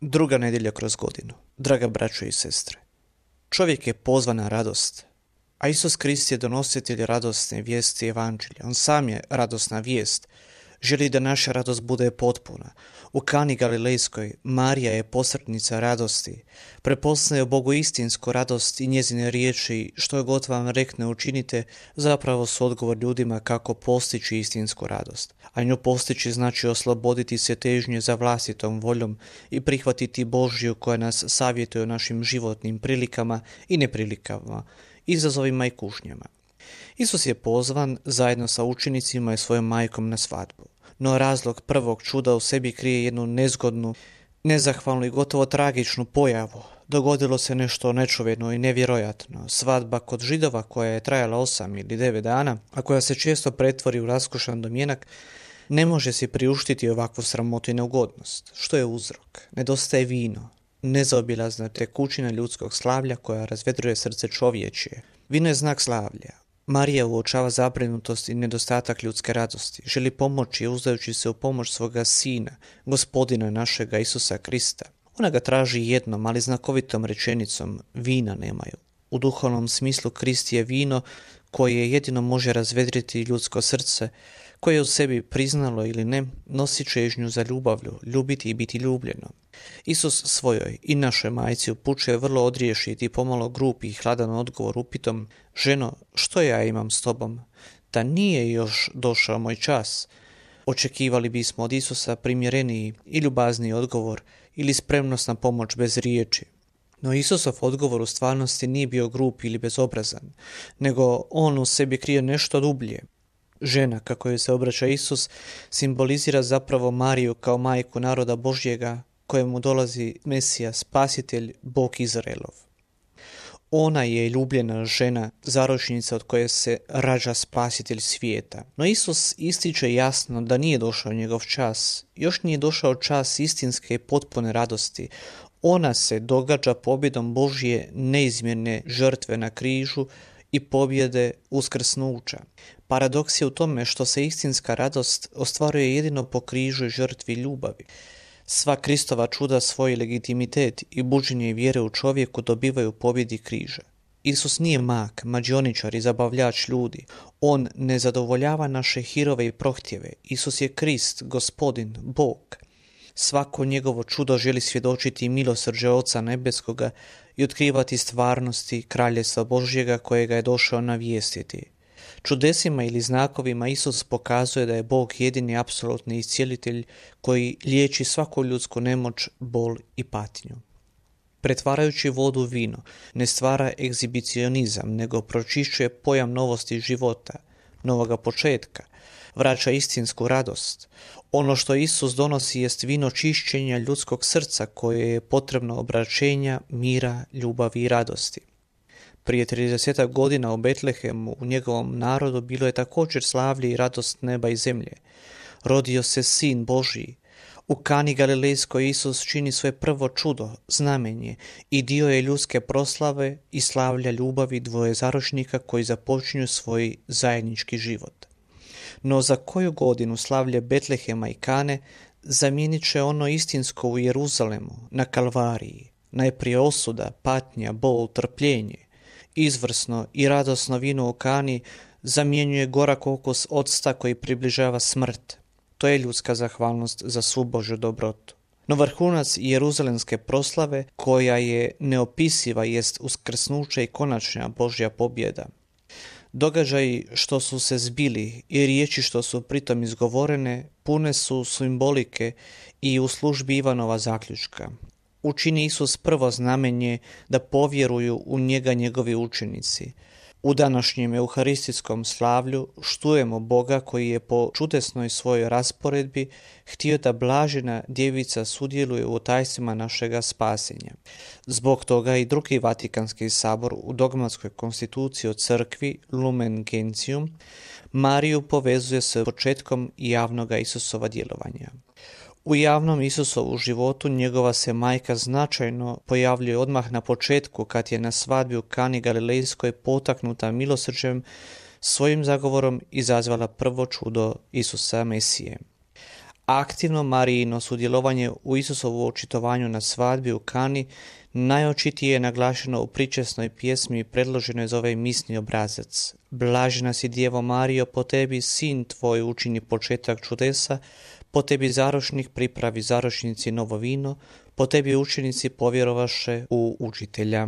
Druga nedjelja kroz godinu. Draga braćo i sestre, čovjek je pozvan na radost, a Isus Krist je donositelj radosne vijesti evanđelja. On sam je radosna vijest. Želi da naša radost bude potpuna. U Kani Galilejskoj Marija je posrednica radosti. Prepoznaje u Bogu istinsku radost i njezine riječi, što je god vam rekne učinite, zapravo su odgovor ljudima kako postići istinsku radost. A nju postići znači osloboditi se težnje za vlastitom voljom i prihvatiti Božju koja nas savjetuje o našim životnim prilikama i neprilikama, izazovima i kušnjama. Isus je pozvan zajedno sa učenicima i svojom majkom na svadbu. No razlog prvog čuda u sebi krije jednu nezgodnu, nezahvalnu i gotovo tragičnu pojavu. Dogodilo se nešto nečuveno i nevjerojatno. Svadba kod Židova koja je trajala 8 ili 9 dana, a koja se često pretvori u raskošan domjenak, ne može si priuštiti ovakvu sramotu i neugodnost. Što je uzrok? Nedostaje vino, nezaobilazna tekućina ljudskog slavlja koja razvedruje srce čovječje. Vino je znak slavlja. Marija uočava zabrinutost i nedostatak ljudske radosti. Želi pomoći uzdajući se u pomoć svoga sina, gospodina našega Isusa Krista. Ona ga traži jednom, ali znakovitom rečenicom: vina nemaju. U duhovnom smislu Krist je vino koje jedino može razvedriti ljudsko srce, koje je u sebi priznalo ili ne, nosi čežnju za ljubavlju, ljubiti i biti ljubljeno. Isus svojoj i našoj majci upućuje vrlo odriješiti i pomalo grupi i hladan odgovor upitom: ženo, što ja imam s tobom? Da nije još došao moj čas? Očekivali bismo od Isusa primjereniji i ljubazniji odgovor ili spremnost na pomoć bez riječi. No Isusov odgovor u stvarnosti nije bio grup ili bezobrazan, nego on u sebi krije nešto dublje. Žena, kako joj se obraća Isus, simbolizira zapravo Mariju kao majku naroda Božjega, kojemu dolazi Mesija, spasitelj, Bog Izraelov. Ona je ljubljena žena, zaročnica od koje se rađa spasitelj svijeta. No Isus ističe jasno da nije došao njegov čas. Još nije došao čas istinske i potpune radosti. Ona se događa pobjedom Božje neizmjerne žrtve na križu i pobjede uskrsnuća. Paradoks je u tome što se istinska radost ostvaruje jedino po križu i žrtvi ljubavi. Sva Kristova čuda svoj legitimitet i buđenje vjere u čovjeku dobivaju pobjedi križa. Isus nije mak, mađioničar i zabavljač ljudi. On ne zadovoljava naše hirove i prohtjeve. Isus je Krist, Gospodin, Bog. Svako njegovo čudo želi svjedočiti milosrđe Oca Nebeskoga i otkrivati stvarnosti Kraljevstva Božjega kojega je došao navijestiti. Čudesima ili znakovima Isus pokazuje da je Bog jedini apsolutni iscijelitelj koji liječi svaku ljudsku nemoć, bol i patnju. Pretvarajući vodu u vino, ne stvara egzibicionizam, nego pročišćuje pojam novosti života, novoga početka, vraća istinsku radost. Ono što Isus donosi jest vino čišćenja ljudskog srca koje je potrebno obraćenja, mira, ljubavi i radosti. Prije 30 godina u Betlehemu, u njegovom narodu, bilo je također slavlje i radost neba i zemlje. Rodio se Sin Božji. U Kani Galilejskoj Isus čini svoje prvo čudo, znamenje, i dio je ljudske proslave i slavlja ljubavi dvoje zaročnika koji započinju svoj zajednički život. No za koju godinu slavlje Betlehema i Kane zamijenit će ono istinsko u Jeruzalemu, na Kalvariji. Najprije osuda, patnja, bol, trpljenje. Izvrsno i radosno vino u Kani zamjenjuje gorak okus octa koji približava smrt. To je ljudska zahvalnost za svu Božju dobrotu. No vrhunac jeruzalemske proslave, koja je neopisiva, jest uskrsnuće i konačna Božja pobjeda. Događaji što su se zbili i riječi što su pritom izgovorene pune su simbolike i u službi Ivanova zaključka. Učini Isus prvo znamenje da povjeruju u njega njegovi učenici. U današnjem euharistijskom slavlju štujemo Boga koji je po čudesnoj svojoj rasporedbi htio da blažena djevica sudjeluje u tajstvima našega spasenja. Zbog toga i drugi Vatikanski sabor u dogmatskoj konstituciji o crkvi Lumen Gentium Mariju povezuje s početkom javnoga Isusova djelovanja. U javnom Isusovu životu njegova se majka značajno pojavljuje odmah na početku kad je na svadbi u Kani Galilejskoj potaknuta milosrđem svojim zagovorom izazvala prvo čudo Isusa Mesije. Aktivno Marijino sudjelovanje u Isusovu očitovanju na svadbi u Kani najočitije je naglašeno u pričesnoj pjesmi predloženoj za ovaj misni obrazac. Blažena si Djevo Marijo, po tebi sin tvoj učini početak čudesa, po tebi zarošnik pripravi zarošnici novo vino, po tebi učenici povjerovaše u učitelja.